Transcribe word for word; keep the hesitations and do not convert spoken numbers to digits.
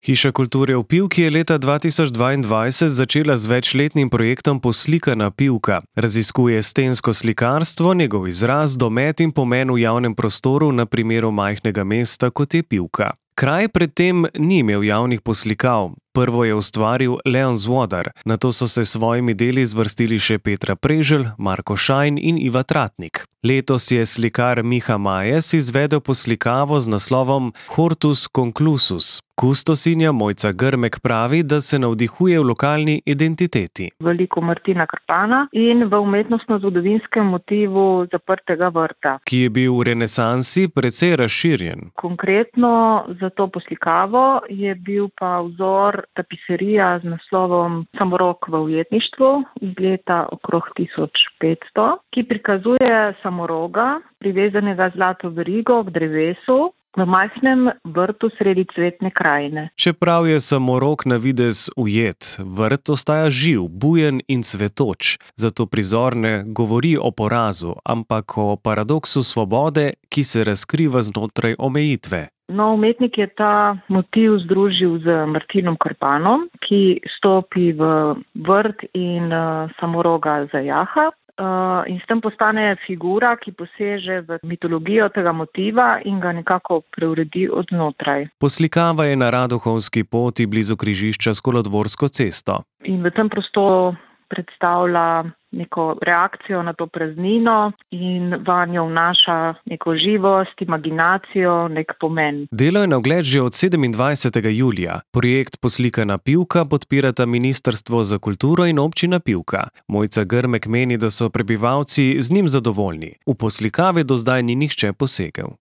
Hiša kulture v Pivki je leta dva tisoč dvaindvajset začela z večletnim projektom Poslikana Pivka. Raziskuje stensko slikarstvo, njegov izraz, domet in pomen v javnem prostoru na primeru majhnega mesta, kot je Pivka. Kraj predtem ni imel javnih poslikav. Prvo je ustvaril Leon Zvodar, nato so se s svojimi deli zvrstili še Petra Preželj, Marko Šajn in Iva Tratnik. Letos je slikar Miha Majes izvedel poslikavo z naslovom Hortus conclusus. Kustosinja Mojca Grmek pravi, da se navdihuje v lokalni identiteti. Veliko Martina Krpana in v umetnostno-zgodovinskem motivu zaprtega vrta, ki je bil v renesansi precej razširjen. Konkretno za to poslikavo je bil pa vzor tapiserija z naslovom Samorok v ujetništvu iz leta okrog tisoč petsto, ki prikazuje samoroga, privezanega zlato verigo k drevesu, v majhnem vrtu sredi cvetne krajine. Čeprav je samorok na videz ujet, vrt ostaja živ, bujen in cvetoč, zato prizor ne govori o porazu, ampak o paradoksu svobode, ki se razkriva znotraj omejitve. No, umetnik je ta motiv združil z Martinom Krpanom, ki stopi v vrt in uh, samoroga zajaha. Uh, in s tem postane figura, ki poseže v mitologijo tega motiva in ga nekako preuredi od znotraj. Poslikava je na Radohovski poti blizu križišča s Kolodvorsko cesto. In v tem prostoru predstavlja neko reakcijo na to praznino in vanjo vnaša neko živost, imaginacijo, nek pomen. Delo je na ogled že od sedemindvajsetega julija. Projekt Poslikana Pivka podpirata Ministrstvo za kulturo in občina Pivka. Mojca Grmek meni, da so prebivalci z njim zadovoljni. V poslikave do zdaj ni nihče posegel.